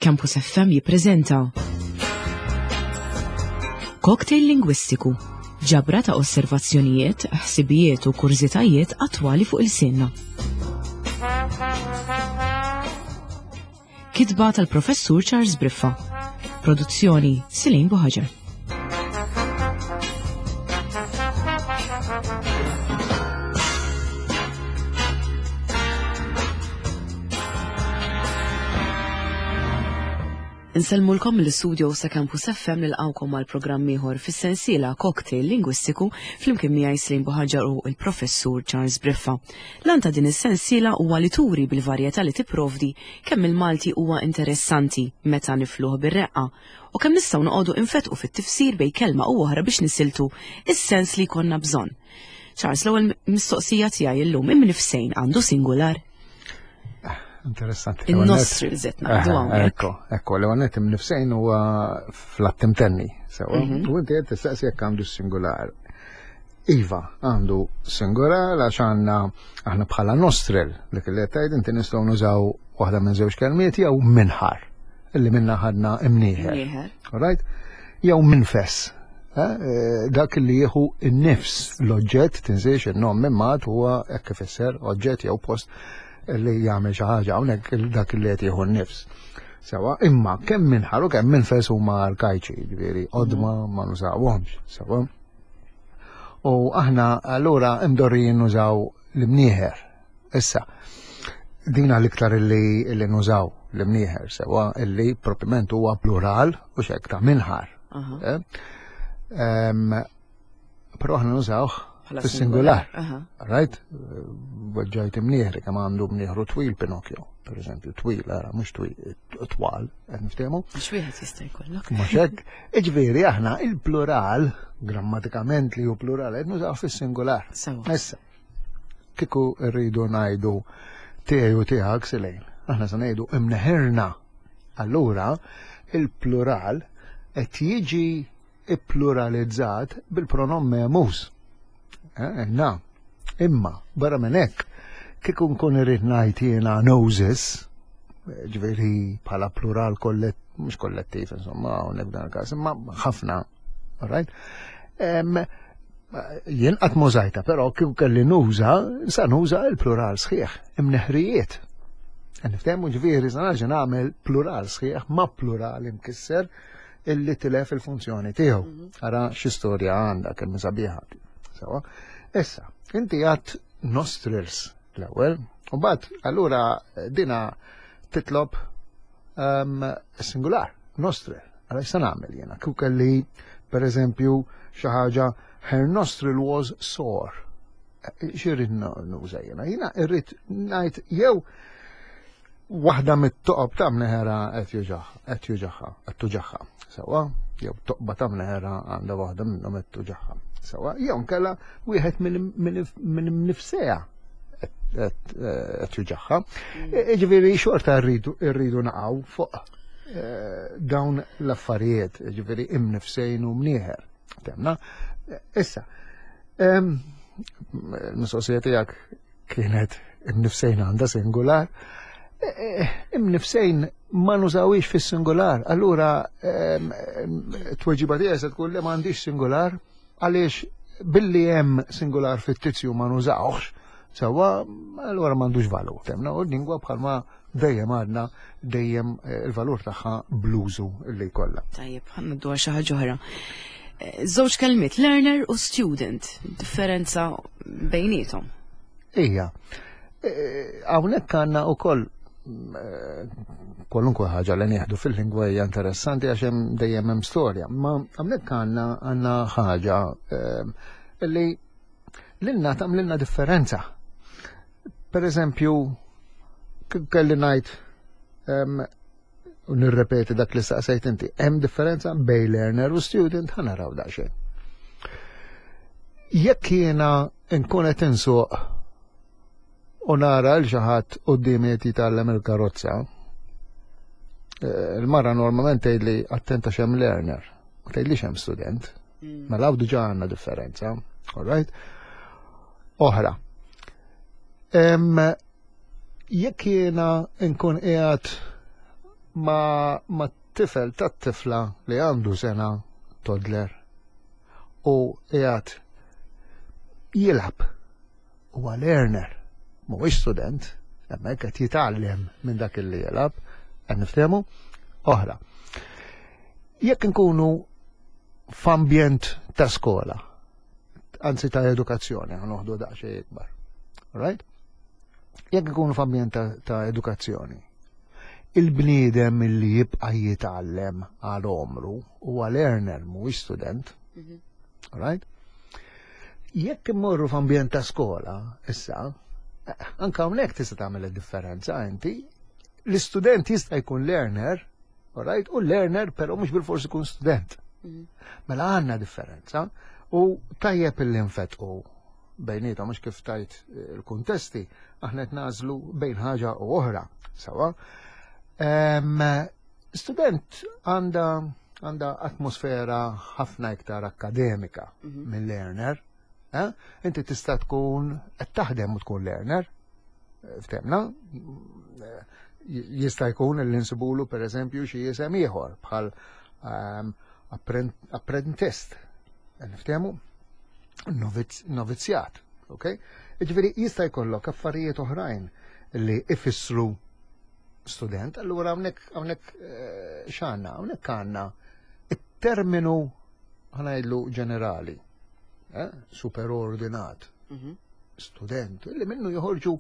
Campus FM jippreżenta Cocktail Lingwistiku, ġabra ta' osservazzjonijiet, ħsibijiet u kurżitajiet attwali fuq il-sinna. Kitba tal-Professur Charles Briffa. Produzzjoni Silin Buħaġar. Insellmulkom mill-istudio sa Campus FM nilqawkom għal programm ieħor fis-sensiela Cocktail Lingwistiku flimkien miegħi Slim Buħaġar u l-Professur Charles Briffa. L-għan ta' din is-sensiela huwa li turi bil-varjetà li tipprovdi kemm il-Malti huwa interessanti meta nifluh bir-reqqa u kemm nistgħu noqogħdu infetqu fit-tifsir bejn kelma u oħra biex nisiltu is-sens li jkollna bżonn. Charles, l-ewwel mistoqsija tiegħi llum imnifsejn għandu singular? Interessanti. Il-nostrils qed ngħidu hawnhekk. Ekko, ekko, l għonet imnifsejn huwa fl-att imtenni, sewa. Mhm. U inti qed tistaqsi jekk għandu singular. Iva, għandu singular għax għandna aħna bħala nostril dik li qed tgħid inti nistgħu nużaw waħda minn żewġ kelmiet jew minħar illi minna ħadna imnieħer. All right? Jew minfess. Eh, eh, dak li jieħu n-nifs l-oġġett tinsiex in-nom minn mat huwa hekk ifisser oġġett jew post li jagħmel xi ħaġa hawnhekk dak li qed jieħu n-nifs. Sewa, imma kemm minħar u kemm minfes huma arkajċi, ġifieri qodma ma nużawhomx, sewa. U aħna allura imdorrijin nużaw l-imnieħer. Issa, dina l-iktar li, li nużaw l-imnieħer sewa illi propiment huwa plural u xek ta' minħar. Eh? Però aħna nużawh fis-singular. Right? Weġġajt imnieħri kemm għandu mnieħru twil Pinocchio, per eżempju, twil, ara, mhux twil, twal, qed niftehmu. Għax wieħed jista' jkollok. Mhux hekk. Iġifieri aħna il-plural, grammatikament li hu plural, qed nużaw fis-singular. Issa, kieku rridu ngħidu tiegħi u tiegħek silejn, aħna se ngħidu imneħirna. Allura, il-plural qed jiġi ippluralizzat bil-pronom memus. Eh, na. Imma, barra minn hekk, kieku nkun irrid ngħid jiena noses, ġifieri bħala plural kollet, mhux kollettiv, insomma, hawnhekk dan il-każ, imma ħafna, right? Jien qatt mużajta, però kieku kelli nuża, sa nuża il-plural sħiħ, imneħrijiet. Niftehmu ġifieri sa nerġa' nagħmel plural sħiħ ma' plural imkisser illi tilef il-funzjoni tiegħu. Mhm. Ara xi storja għandha kemm sabiħa. Sewa. Issa, inti għat nostrils l-ewwel, u mbagħad allura dina titlob um, singular, nostril. Għala x'se nagħmel jiena? Kieku kelli pereżempju xi ħaġa her nostril was sore. Xirrid nuża jiena? Jiena irrid ngħid jew Waħda mit-toqob ta' mneħera qed juġaħ, qed juġaħha, qed tuġaħha. Sewwa, jew toqba ta' mneħera għandha waħda minnhom qed tuġaħha. Sewwa, jew nkella wieħed minn nifseha qed juġaħha. Mm. E, ġifieri xorta rridu rridu naqgħu fuq e, dawn l-affarijiet, ġifieri imnifsejn u mnieħer. Temna. Issa, mistoqsija tiegħek kienet imnifsejn għandha singular. E, e, imnifsejn ma nużawix fis-singular. Allura tweġiba tiegħi se tkun li m'għandix singular għaliex billi hemm singular fittizju ma nużawx, sewwa allura m'għandux valur. Temna u l-lingwa bħalma dejjem għadna dejjem eh, il-valur tagħha bluzu li jkollha. Tajjeb, ħanaddu għal xi ħaġa oħra. Eh, żewġ kelmiet, learner u student, differenza bejnietom. Ija, eh, hawnhekk għandna wkoll kwalunkwe ħaġa li nieħdu fil-lingwa hija interessanti għax hemm dejjem hemm storja, ma hawnhekk għandna għandna ħaġa li lilna tagħmlilna differenza. Per eżempju, kelli ngħid u nirrepeti dak li staqsejt inti, hemm differenza bej learner u student ħa naraw daqsxejn. Jekk jiena nkun qed insuq u nara l xi ħadd quddiemi qed jitgħallem il-karozza, eh, il-mara normalment tgħidli attenta x'hemm learner, u tgħidli x'hemm student. Mm. Mela hawn diġà għandna differenza, all right? Oħra. Jekk jiena nkun qiegħed ma, ma tifel ta' tifla li għandu sena toddler u qiegħed jilgħab huwa learner, mhuwiex student, hemmhekk qed jitgħallem minn dak li jilgħab, qed niftehmu? Oħra. Jekk inkunu f'ambjent ta' skola, anzi ta' edukazzjoni, noħdu daqsxejn ikbar. Right? Jekk ikunu f'ambjent ta', ta edukazzjoni, il-bniedem li jibqa' jitgħallem għal omru huwa learner mhuwiex student. Right? Jekk immorru f'ambjent ta' skola, issa, eh, anka hawnhekk tista' tagħmel id-differenza inti. L-istudent jista' jkun learner, right? U learner però mhux bil-forsi jkun student. Mela għandna differenza u tajjeb illi nfetqu bejniethom mhux kif tajt eh, il-kuntesti, aħna qed nażlu bejn ħaġa u oħra. Sawa. Student għandha għandha atmosfera ħafna iktar akademika mm minn learner. Eh? Inti tista' tkun qed taħdem u tkun learner. Eh, ftemna, eh, jista' jkun li nsibulu pereżempju xi isem ieħor bħal um, apprentist. Niftehmu? Novizzjat. Ok? Ġifieri jista' jkollok affarijiet oħrajn li ifissru student, allura hawnhekk hawnhekk eh, x'għandna? Hawnhekk għandna it-terminu ħanajdlu ġenerali, eh, superordinat, mhm. student, li minnu joħorġu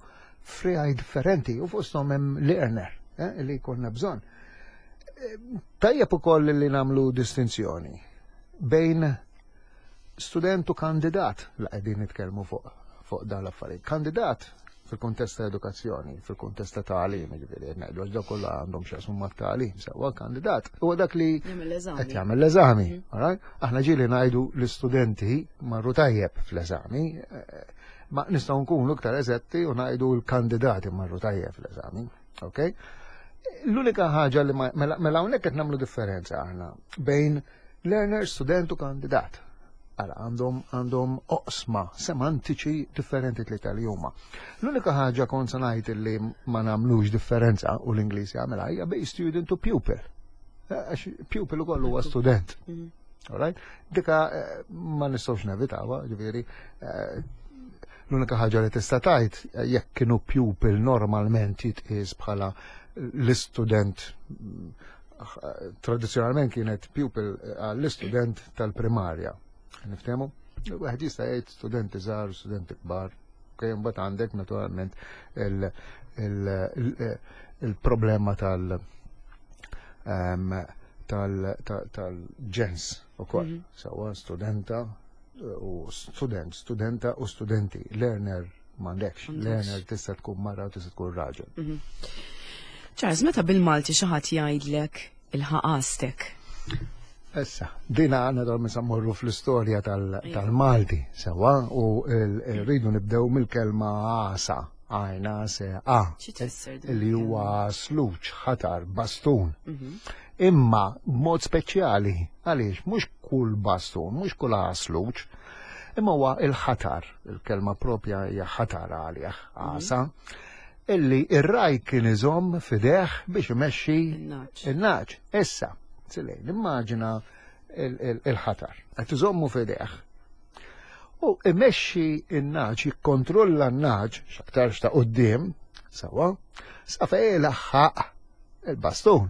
friegħi differenti u fosthom hemm learner eh, li jkollna bżonn. Tajjeb ukoll li nagħmlu distinzjoni bejn student u kandidat la qegħdin nitkellmu fuq fuq dan l-affarijiet. Kandidat fil-kuntest ta' edukazzjoni, fil-kuntest ta' tagħlim, jiġifieri qed ngħidu għax dak kollha għandhom x'jaqsmu mat-tagħlim, sewwa kandidat huwa dak li qed jagħmel l-eżami. Mhm. Aħna ġieli ngħidu l-istudenti marru tajjeb fl-eżami, eh, ma nistgħu nkunu iktar eżetti u ngħidu l-kandidati marru tajjeb fl-eżami. Okay? L-unika ħaġa li mela, mela hawnhekk qed nagħmlu differenza aħna bejn learner, student u kandidat. Għala għandhom għandhom oqsma semantiċi differenti li tal huma. L-unika ħaġa kont se ngħid li ma nagħmlux differenza u l-Ingliż jagħmilha hija bej student u pupil. Eh, għax pupil ukoll huwa student. Mm. Alright? Dika eh, ma nistgħux nevitawha, ġifieri eh, l-unika ħaġa li tista' tgħid jekk kienu pupil normalment jitqies bħala l-istudent tradizzjonalment kienet pupil eh, għall-istudent tal-primarja. Niftehmu? Wieħed jista' jgħid studenti żgħar, studenti kbar. Okay, mbagħad għandek naturalment il-problema tal- ehm, tal-ġens ukoll. Mhm. Sawa studenta eh, u student, studenta u studenti, learner m'għandekx. Learner tista' tkun mara u tista' tkun raġel. Mhm. Charles, meta bil-Malti xi ħadd jgħidlek il-ħaqastek? Issa, dina għanna dal morru fl-istorja tal-Malti, sewa, u rridu nibdew mill-kelma għasa, għajna se a. Li huwa sluċ, ħatar, bastun. Mhm. Imma b'mod speċjali, għaliex mhux kull bastun, mhux kull għasluċ, imma huwa il-ħatar, il-kelma propja hija ħatar għalih, mhm. għasa, illi ir-raj kien iżomm fideh biex imexxi il-naċ. Issa, silejn, immaġina il-ħatar, qed iżommu fideh. U imexxi in-naċ, jikkontrolla n-naċ, x'aktarx ta' quddiem, sawa, sa fejn laħħaq il-bastun,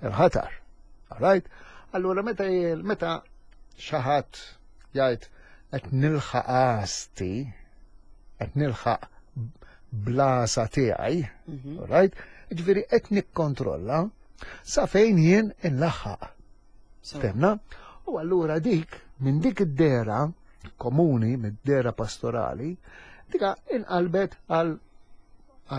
il-ħatar. All right? Allura meta meta xi ħadd jgħid qed nilħaq għasti, qed nilħaq blasa tiegħi, mhm. right? Ġifieri qed nikkontrolla sa fejn jien inlaħħaq. Temna? U allura dik, minn dik id-dera komuni, mid-dera pastorali, dika inqalbet għal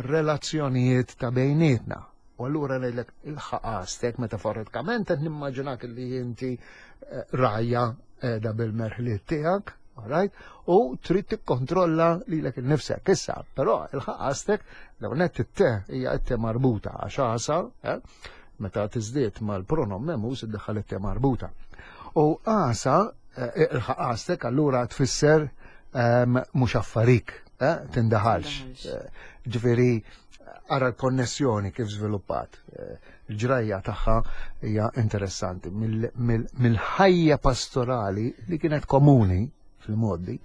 relazzjonijiet ta' bejnietna. U allura ngħidlek il-ħaqastek metaforikament qed nimmaġinak li inti eh, rajja qiegħda bil-merħliet tiegħek, alright? U trid tikkontrolla lilek innifsek. Issa, però il-ħaqastek law net it-te hija it-te marbuta għax għasa, eh, meta tiżdied mal-pronom memus iddaħħal it-te marbuta. U għasa eh, il-ħaqastek allura tfisser ehm, mhux affarik, eh, tindaħalx. Ġifieri ara l-konnessjoni kif żviluppat. Il-ġrajja tagħha hija interessanti. Mill-ħajja pastorali li kienet komuni fil-modi,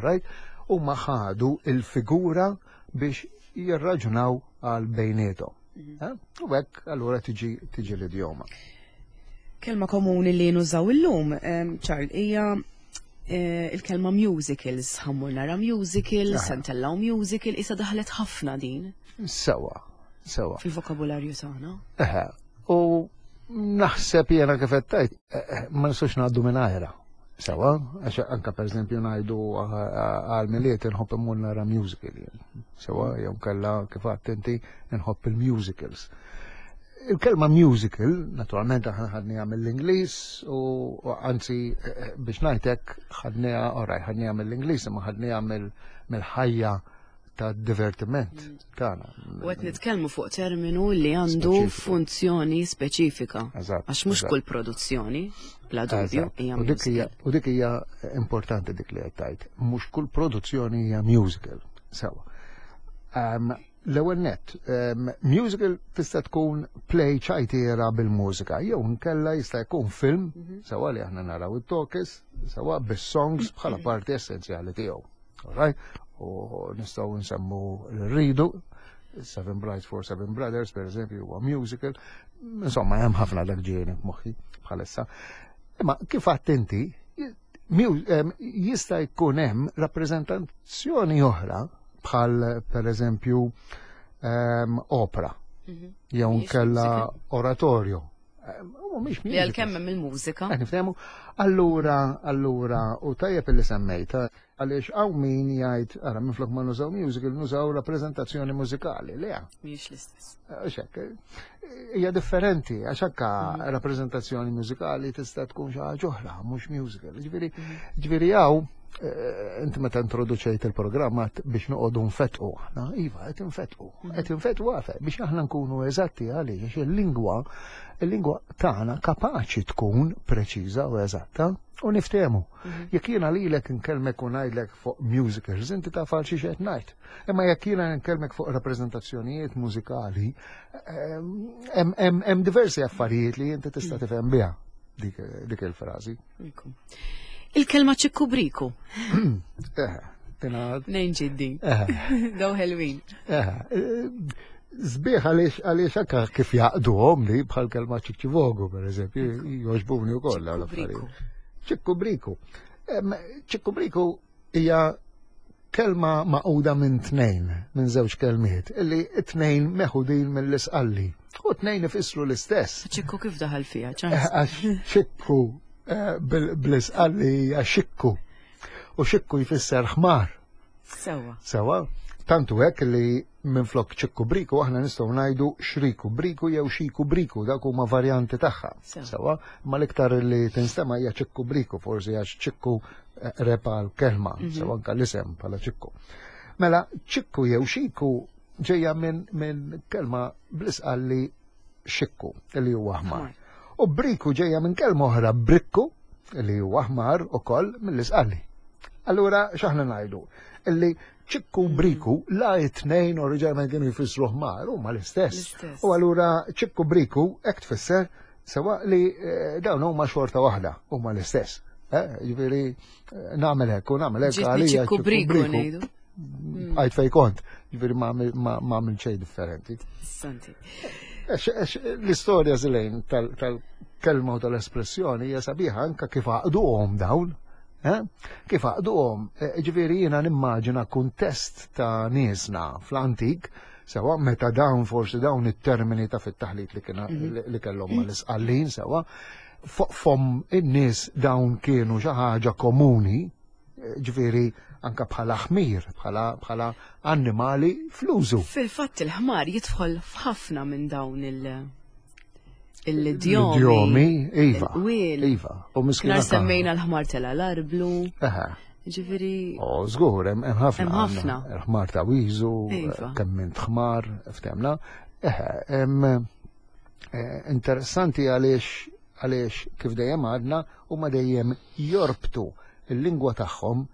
right? Huma ħadu il-figura biex jirraġunaw għal bejniethom. Eh? U hekk allura tiġi tiġi l-idjoma. Kelma komuni li nużaw illum, Charles, hija eh, il-kelma musicals, ħammur nara musical, sentellaw musical, isa daħlet ħafna din. Sewa, sewa. Fil-vokabularju tagħna. Eħe, u naħseb jiena kif qed tgħid, eh, eh, ma nistgħux ngħaddu minn ajra. Sewa, għax anka per eżempju ngħidu għal miliet inħobb immur nara musical jien. Sewa, jew kella kif għadt inti nħobb il-musicals. Il-kelma musical, naturalment aħna ħadniha mill-Ingliż u anzi eh, biex ngħidlek ħadniha oraj, ħadniha mill-Ingliż imma ħadniha mill-ħajja ta' divertiment tagħna. U qed nitkellmu fuq terminu li għandu funzjoni speċifika. Għax mhux kull produzzjoni, bla dubju, hija musical. U dik hija importanti dik li qed tgħid. Mhux kull produzzjoni hija musical. Sewa. L-ewwel nett, musical tista' tkun play ċajtiera bil-mużika, jew nkella jista' jkun film, mhm. sewa li aħna naraw it-tokis, sewa bis-songs bħala parti essenzjali tiegħu. Alright? U nistgħu nsemmu l-ridu, Seven Brides for Seven Brothers, per eżempju, huwa musical. Insomma, hemm ħafna dak ġieni f'moħħi bħalissa. Imma kif għadt inti, jista' jkun hemm rappreżentazzjoni oħra bħal per eżempju opera mhm. jew nkella oratorio. Mhumiex Li għalkemm hemm il-mużika. Qed niftehmu. Allura, allura, u tajjeb illi semmejta, għaliex hawn min jgħid, ara minflok ma nużaw musical, nużaw rappreżentazzjoni mużikali. Le. Mhijiex l-istess. Għax hekk, hija differenti, għax hekk mhm. rappreżentazzjoni mużikali tista' tkun xi ħaġa oħra, mhux musical. Ġifieri, mhm. ġifieri hawn eh, inti meta introduċejt il-programm biex noqogħdu nfetqu aħna, iva qed infetqu, mhm. qed infetqu għafe biex aħna nkunu eżatti għaliex il-lingwa il-lingwa tagħna kapaċi tkun preċiża u eżatta u niftehmu. Jekk jiena lilek nkellmek u ngħidlek fuq musicals, inti taf għal xi qed ngħid. Imma jekk jiena nkellmek fuq rappreżentazzjonijiet mużikali, hemm diversi affarijiet li inti tista' tifhem biha dik il-frażi. Il-kelma ċikku briku. Eh, Nejn ġiddi. Eh. Daw ħelwin. Eh, Zbieħ għaliex għaliex anka kif jaqduhom li bħal kelma ċikċivogu, per eżempju, joġbuni wkoll l-affarijiet. Ċikku briku. Ċikku briku hija kelma maquda minn tnejn, minn żewġ kelmiet, illi t-tnejn meħudin mill-isqalli. U tnejn ifissru l-istess. Ċikku kif daħal fiha, ċans? Għax ċikku eh, bl-isqalli hija xikku. U xikku jfisser ħmar. Sewa. Sewa. Tantu hekk li minflok ċikku briku aħna nistgħu ngħidu xriku briku jew xiku briku dak huma varjanti tagħha. Sewa, ma l-iktar li tinstema' hija ċikku briku forsi għax ċikku eh, repa l-kelma, mhm. sewa anka l-isem bħala ċikku. Mela ċikku jew xiku ġejja minn min kelma bl-isqalli xikku li huwa aħmar. U briku ġejja minn kelma oħra brikku li huwa aħmar ukoll mill-isqalli. Allura x'aħna ngħidu? Illi ċikku mm. briku la it-tnejn oriġinalment kienu jfissru ħmar huma l-istess. U allura ċikku briku hekk tfisser sewa li eh, dawn huma xorta waħda huma l-istess. Eh, ġifieri eh, nagħmel hekk u nagħmel hekk għalija ċikku briku ngħidu. Mm. Għajt fej kont, ġifieri ma għamil xejn differenti. Santi. L-istorja zilejn tal-kelma u tal-espressjoni hija sabiħa anka kif għaqduhom dawn Eh? Kif għaqduhom, eh, ġifieri jiena nimmaġina kuntest ta' niesna fl-antik, sewa meta dawn forsi dawn it-termini ta' fit-taħlit li kien mhm. li kellhom mal-isqallin sewa, fom in-nies dawn kienu xi ħaġa komuni, eh, ġifieri anka bħala ħmir, bħala annimali fl-użu. Fil-fatt il-ħmar jidħol f'ħafna minn dawn il- l-idjomi. L-idjomi, iva. Iva. U miskina. Semmejna l-ħmar tela l-arblu. Ġifiri. O, żgur, hemm ħafna. Hemm ħafna. Il-ħmar ta' wiżu, iva. kemm int ħmar, ftemna. Eħe, eh, interessanti għaliex għaliex kif dejjem għadna huma dejjem jorbtu il-lingwa tagħhom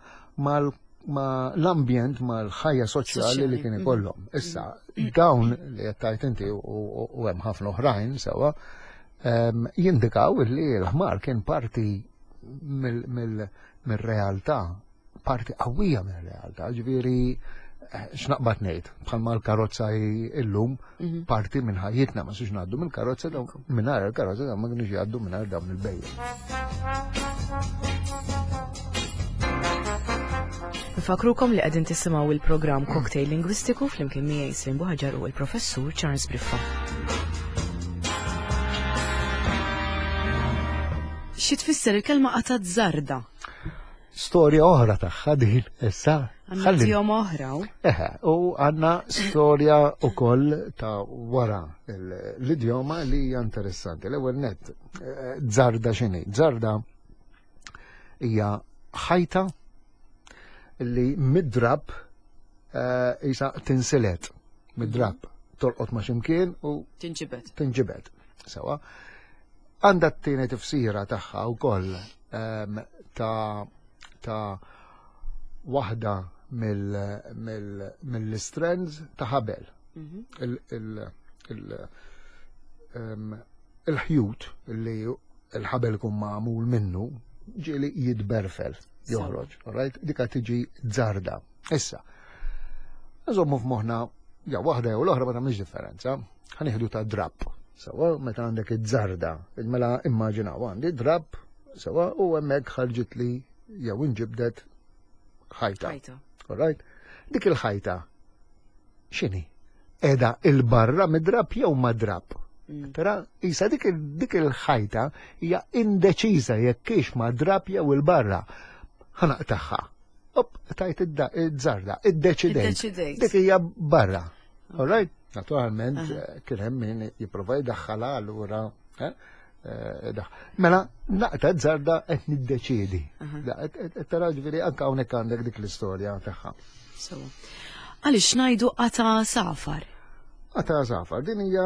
mal ma l-ambjent ma l-ħajja soċjali li kien ikollhom. Issa, dawn li qed tgħid inti u hemm ħafna oħrajn sewwa jindikaw li l-ħmar kien parti mill-realtà, parti qawwija mill-realtà, ġifieri eh, x'naqbad ngħid, bħalma l-karozza illum mhm. parti minn ħajjitna ma sux ngħaddu mill-karozza dawn mingħajr il-karozza dawn ma kienux jgħaddu mingħajr dawn il-bejjem. Nfakrukom li qegħdin tisimgħu il-programm Cocktail Lingwistiku flimkien miegħi Slim Buħaġar u l-Professur Charles Briffa. Xi tfisser il-kelma qatgħat żarda? Storja oħra tagħha din issa. Għandna idjoma oħra. Eħe, u għandna storja wkoll ta' wara l-idjoma li hija interessanti. L-ewwel nett, eh, żarda x'inhi? Żarda hija ħajta li mid-drab eh, jisa tinsilet mid-drab tolqot ma' ximkien u tinġibed. Tinġibed. Sewa. Għandha t-tieni tifsira tagħha wkoll ehm, ta' ta' waħda mill-strands ta' ħabel. Mhm. Ehm, il-ħjut li il-ħabel kun magħmul minnu ġieli jitberfel, joħroġ, right? Dika tiġi żarda. Issa, nżommu f'moħħna, ja waħda jew l-oħra ma tagħmilx differenza, ħanieħdu ta' drapp. Sawa, meta għandek iż-żarda, mela immaġinaw għandi drapp, sawa, u hemmhekk ħarġit li jew inġibdet ħajta. All right? Dik il-ħajta x'inhi? Qiegħda il-barra mid-drapp jew ma' drapp? Mm. Tara, isa dik il-ħajta hija indeċiża jekk hix ma' drapp jew il-barra. Ħanaqtaħħa. Op, tajt id-żarda, iddeċidejt. Dik hija barra. All right? Naturalment, eh, kien hemm min jipprova jdaħħalha allura. Eh, eh, mela, naqta żarda qed niddeċiedi. Tara ġifieri anke hawnhekk għandek dik l-istorja tagħha. Għaliex ngħidu qata safar? Qata safar, din hija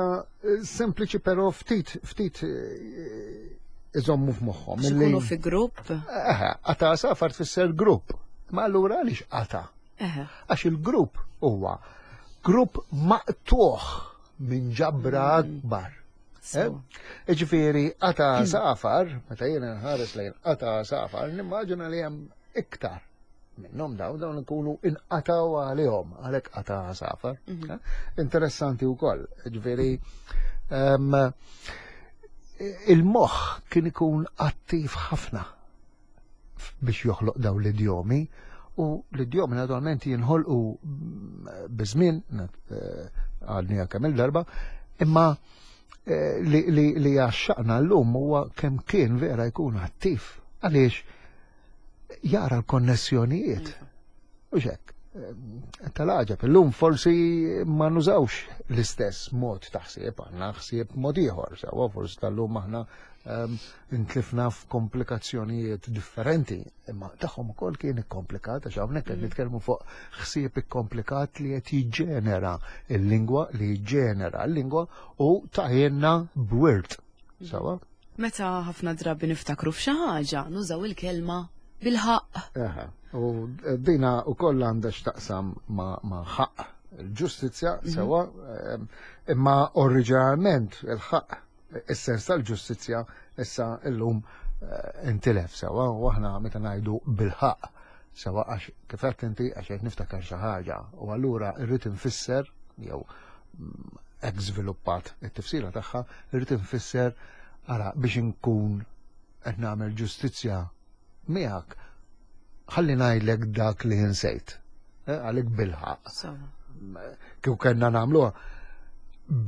sempliċi però ftit ftit iżommu f'moħħhom. Ikunu fi grupp? Eħe, qata safar tfisser grupp. Ma allura għaliex qata? Għax il-grupp huwa grupp maqtuħ minn ġabra mm. akbar. Eh? Ġifieri qata mm. safar, meta jiena nħares lejn qata safar, nimmaġina li hemm iktar minnhom dawn dawn ikunu inqataw għalihom għalhekk qata safar. Mhm. Eh? Interessanti wkoll, ġifieri ehm, il-moħħ kien ikun attiv ħafna biex joħloq daw l-idjomi u l-idjomi naturalment jinħolqu biż-żmien eh, għadni kemm il-darba, imma eh, li, li għaxxaqna l-lum huwa kemm kien vera jkun attiv għaliex jara l-konnessjonijiet. Iva. U xek, eh, tal-għaġab, illum forsi ma nużawx l-istess mod ta' ħsieb, għandna ħsieb mod ieħor, sewa forsi tal-lum aħna ehm, intlifna f'komplikazzjonijiet differenti, imma tagħhom ukoll kien ikkomplikat għax hawnhekk qed mm. nitkellmu fuq ħsieb ikkomplikat li qed jiġġenera l-lingwa li jiġġenera l-lingwa u taħjenna b'wirt. Mm. Sawa? Meta ħafna drabi niftakru f'xi ħaġa, nużaw il-kelma bil-ħaqq. Eħe, u dina wkoll għandha x'taqsam ma' ħaqq il-ġustizzja mhm. sewa, imma oriġinalment il-ħaqq is-sens tal-ġustizzja issa illum eh, intilef sewa u aħna meta ngħidu bil-ħaqq sewa għax kif qed inti għax qed niftakar xi ħaġa u allura rrid infisser jew mm, hekk żviluppat it-tifsira tagħha rrid infisser ara biex inkun qed nagħmel ġustizzja miegħek ħalli ngħidlek dak li insejt. Eh, għalik bilħaq. Kieku kellna nagħmluha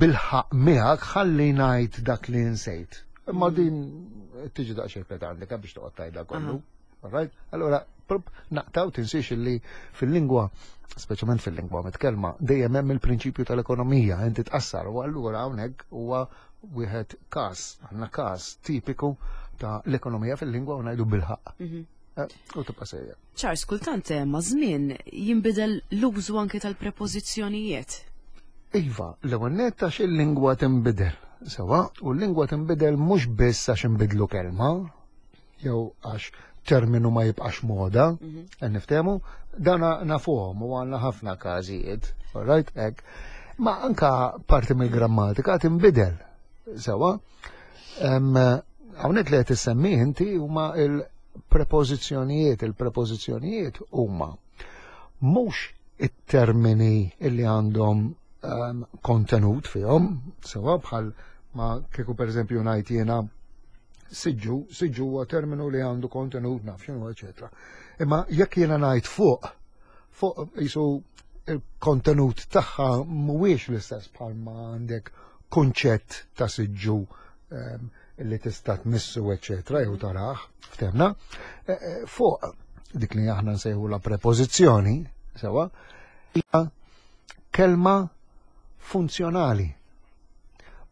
bilħaq miegħek ħalli ngħid dak li insejt. Imma mm. din tiġi daqsxejn pedantika biex toqgħod tgħidha kollu. Right? Allora, naqtaw tinsiex li fil-lingwa, speċjalment fil-lingwa mitkellma, dejjem hemm il-prinċipju tal-ekonomija, inti tqassar u allura hawnhekk huwa wieħed każ, għandna każ tipiku ta' l-ekonomija fil-lingwa u ngħidu bil-ħaqq. Mhm. Eh, u tibqa' sejjer. Charles, kultant eh, ma' żmien jinbidel l-użu anke tal-prepożizzjonijiet. Iva, l-ewwel nett għax il-lingwa tinbidel. Sewa, u l-lingwa tinbidel mhux biss għax inbidlu kelma, jew għax terminu ma jibqax moda, qed niftehmu, dan nafuhom u għandna ħafna każijiet, all right, hekk. Ma anka parti mill-grammatika tinbidel, sewa. Hawnhekk li qed issemmi inti huma il-prepożizzjonijiet, il-prepożizzjonijiet huma mhux it-termini illi għandhom kontenut fihom, sewa bħal ma kieku pereżempju ngħid jiena siġġu, siġġu huwa terminu li għandu kontenut naf x'inhu, eċetera. Imma jekk jiena ngħid fuq, fuq jisu il-kontenut tagħha mhuwiex l-istess bħal ma għandek kunċett ta' siġġu li tista' tmissu eċetera jew tarah, ftemna. Fuq dik li aħna nsejħu la prepożizzjoni, sewa, hija kelma funzjonali.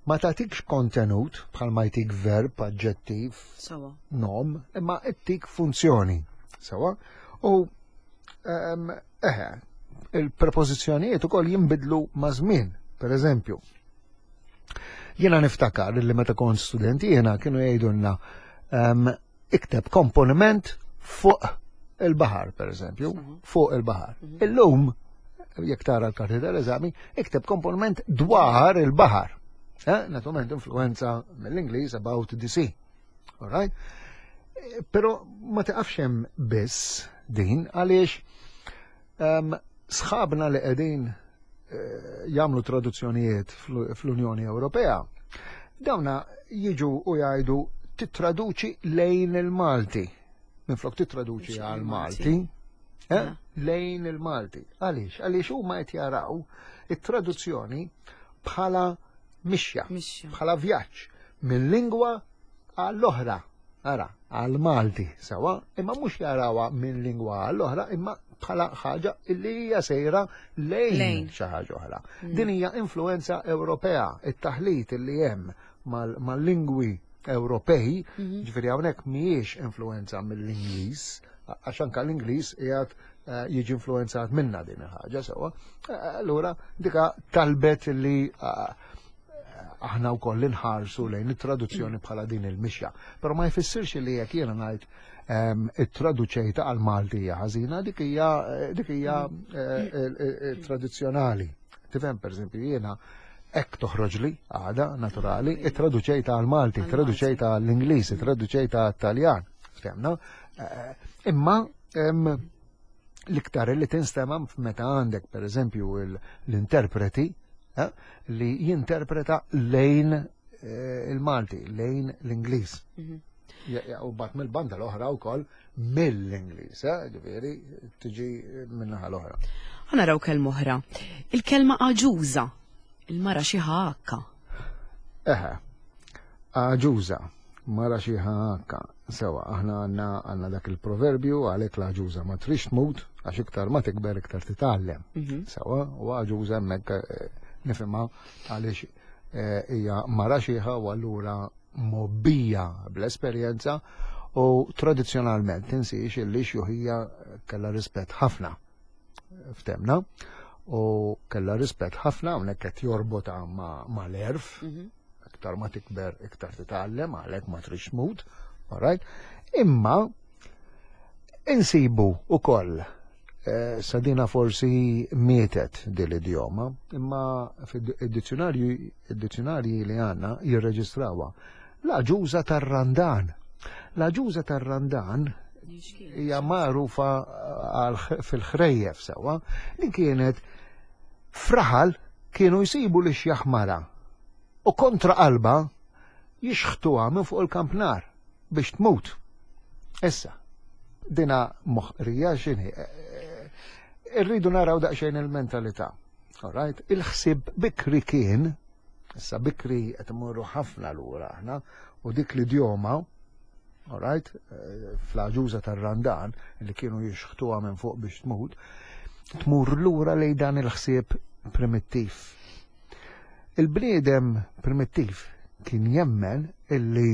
Ma tagħtikx kontenut bħal ma jtik verb, aġġettiv, nom, imma ttik funzjoni. Sewa, u eħe, il-prepożizzjonijiet ukoll jinbidlu ma' żmien, per eżempju. Jiena niftakar li meta kont student jiena kienu jgħidulna ikteb komponiment fuq il-baħar, per eżempju, fuq il-baħar. Illum, jekk tara l-karti tal-eżami, ikteb komponiment dwar il-baħar. Naturalment influenza mill-Ingliż about the sea. All right? Pero ma tiqafx hemm biss din għaliex sħabna li qegħdin jagħmlu traduzzjonijiet fl-Unjoni Ewropea, dawna jiġu u jgħidu titraduċi lejn il-Malti. Minflok titraduċi għal-Malti, lejn il-Malti. Għaliex? Għaliex huma qed jaraw it-traduzzjoni bħala mixja, bħala vjaġġ minn lingwa għall-oħra. Ara, għal-Malti sewa, imma mhux jarawha minn lingwa għall-oħra, imma bħala ħaġa illi hija sejra lejn xi ħaġa oħra. Din hija influenza Ewropea, it-taħlit illi hemm mal-lingwi Ewropej, ġifieri hawnhekk mhijiex influenza mill-Ingliż, għax anke l-Ingliż qiegħed jiġi influenzat minna din il-ħaġa sewa. Allura dika talbet li aħna wkoll inħarsu lejn it-traduzzjoni bħala din il-mixja. Però ma jfissirx li jekk jiena ngħid it-traduċejta għal Malti hija ħażina, dik hija tradizzjonali. Tifhem, pereżempju, jiena hekk toħroġli għada naturali, it-traduċejta għal Malti, traduċejta għall-Ingliż, traduċejta għat-Taljan, ftemna. Imma l-iktar li tinstema' meta għandek pereżempju l-interpreti li jinterpreta lejn il-Malti, lejn l-Ingliż. U bat mill-banda l-oħra wkoll mill-Ingliż, ġifieri tiġi min-naħa l-oħra. Ħa naraw kelma oħra. Il-kelma aġuża, il-mara xi ħakka. Eħe, aġuża, mara xi ħakka. Sewa, aħna għandna dak il-proverbju għalhekk l-aġuża ma trix tmut għax iktar ma tikber iktar titgħallem. Sewa, u aġuża hemmhekk nifhimha għaliex hija mara xieħa u allura mobbija bl-esperjenza u tradizzjonalment tinsiex illi xjuħija kellha rispett ħafna ftemna u kellha rispett ħafna hawnhekk qed jorbota mal-erf, iktar ma tikber iktar titgħallem għalhekk ma trix tmut, all right? Imma insibu ukoll sadina forsi mietet din l-idjoma, imma fid-dizzjonarji li għandna jirreġistrawha. L-aġuża tar-randan. L-aġuża tar-randan hija magħrufa fil-ħrejjef sewwa, li kienet fraħal kienu jsibu li xjaħmara u kontra qalba jixħtuha minn fuq il-kampnar biex tmut. Issa, dina moħqrija x'inhi. Irridu naraw daqsxejn il-mentalità. All right? Il-ħsieb bikri kien, issa bikri qed imorru ħafna lura aħna, u dik l-idjoma, all right, fl-aġuża tar-randan li kienu jixħtuha minn fuq biex tmut, tmur lura lejn dan il-ħsieb primittiv. Il-bniedem primittiv kien jemmen illi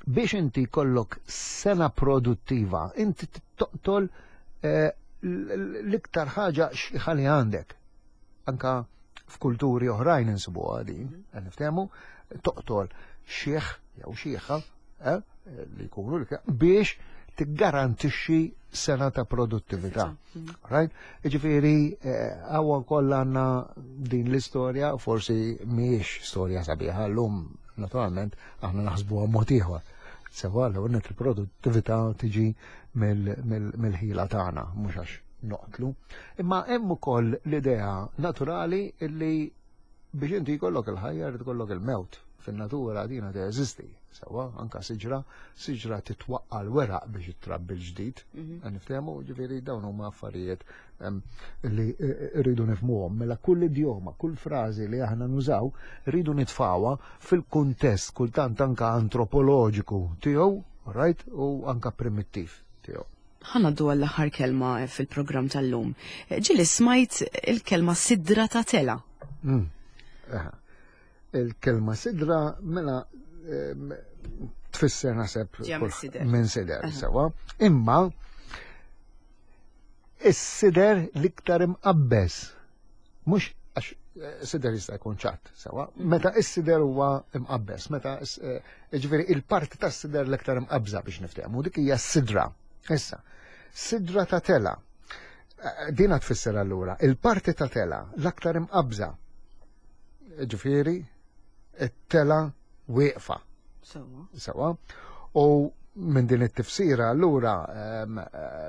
biex inti kollok sena produttiva, inti toqtol l-iktar ħaġa xieħa li għandek. Anka f'kulturi oħrajn insibuha din, qed niftehmu, toqtol xieħ jew xieħa li jkunu biex tiggarantixxi sena ta' produttività. Mm. Right? Ġifieri eh, hawn kollha għandna din l-istorja, forsi mhijiex storja sabiħa llum naturalment aħna naħsbuha mod ieħor. Sewa l net il-produttività tiġi mill-ħila tagħna, mhux għax noqtlu. Imma hemm ukoll l-idea naturali illi biex inti jkollok il-ħajja jrid ikollok il-mewt. Fin-natura dina teżisti. Sewa, anka siġra, siġra titwaqqa l-weraq biex ittrabbi l-ġdid. Mhm. Niftehmu, ġifieri dawn huma affarijiet li eh, eh, rridu nifhmuhom. Mela kull idjoma, kull frażi li aħna nużaw, rridu nitfawha fil-kuntest kultant anka antropoloġiku tiegħu, right, u anka primittiv tiegħu. Ħa ngħaddu għall-aħħar kelma fil-programm tal-lum. Ġieli smajt il-kelma sidra ta' tela. Mm. Il-kelma sidra mela tfisser naħseb minn sider, sewa. Imma is-sider l-iktar imqabbeż mhux għax eh, sider jista' jkun ċatt, sewa, mm. meta is-sider huwa imqabbeż, meta eh, ġifieri il-parti tas-sider l-iktar imqabża biex niftehmu, dik hija s-sidra. Issa, sidra ta' tela. Eh, dina tfisser allura, il-parti ta' tela l-aktar imqabża. Ġifieri, it-tela wieqfa. Sewa. Sewa. U minn din it-tifsira allura ehm,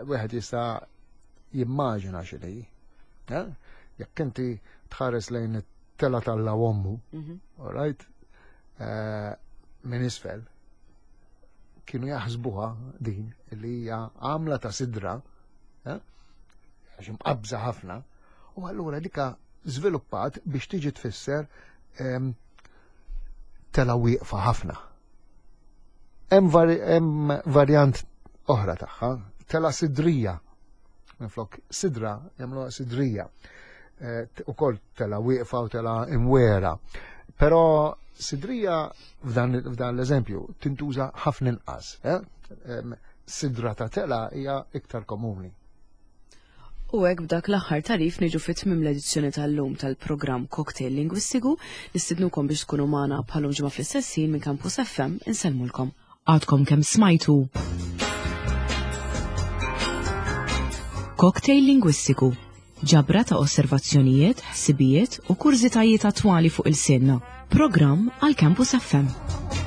wieħed jista' jimmaġina x'inhi. Eh? Jekk inti tħares lejn it-tela tal ommu, mhm. all right, eh, minn isfel, kienu jaħsbuha din li hija għamla ta' sidra, eh, għax imqabża ħafna, u allura dika żviluppat biex tiġi tfisser ehm, tela wieqfa ħafna. Hemm varjant oħra tagħha, tela sidrija. Minflok sidra jagħmluha sidrija. Eh, ukoll tela wieqfa u tela imwera. Però sidrija f'dan l-eżempju tintuża ħafna inqas. Eh? Sidra ta' tela hija iktar komuni. U hekk b'dak l-aħħar tagħrif niġu fi tmiem l-edizzjoni tal-lum tal-programm Cocktail Lingwistiku. Nistidnukom biex tkunu magħna bħalum ġimgħa fl-istess ħin minn Campus FM insellmulkom. Għadkom kemm smajtu Cocktail Lingwistiku ġabra ta' osservazzjonijiet, ħsibijiet u kurżitajiet attwali fuq il-sinna. Programm għal Campus FM.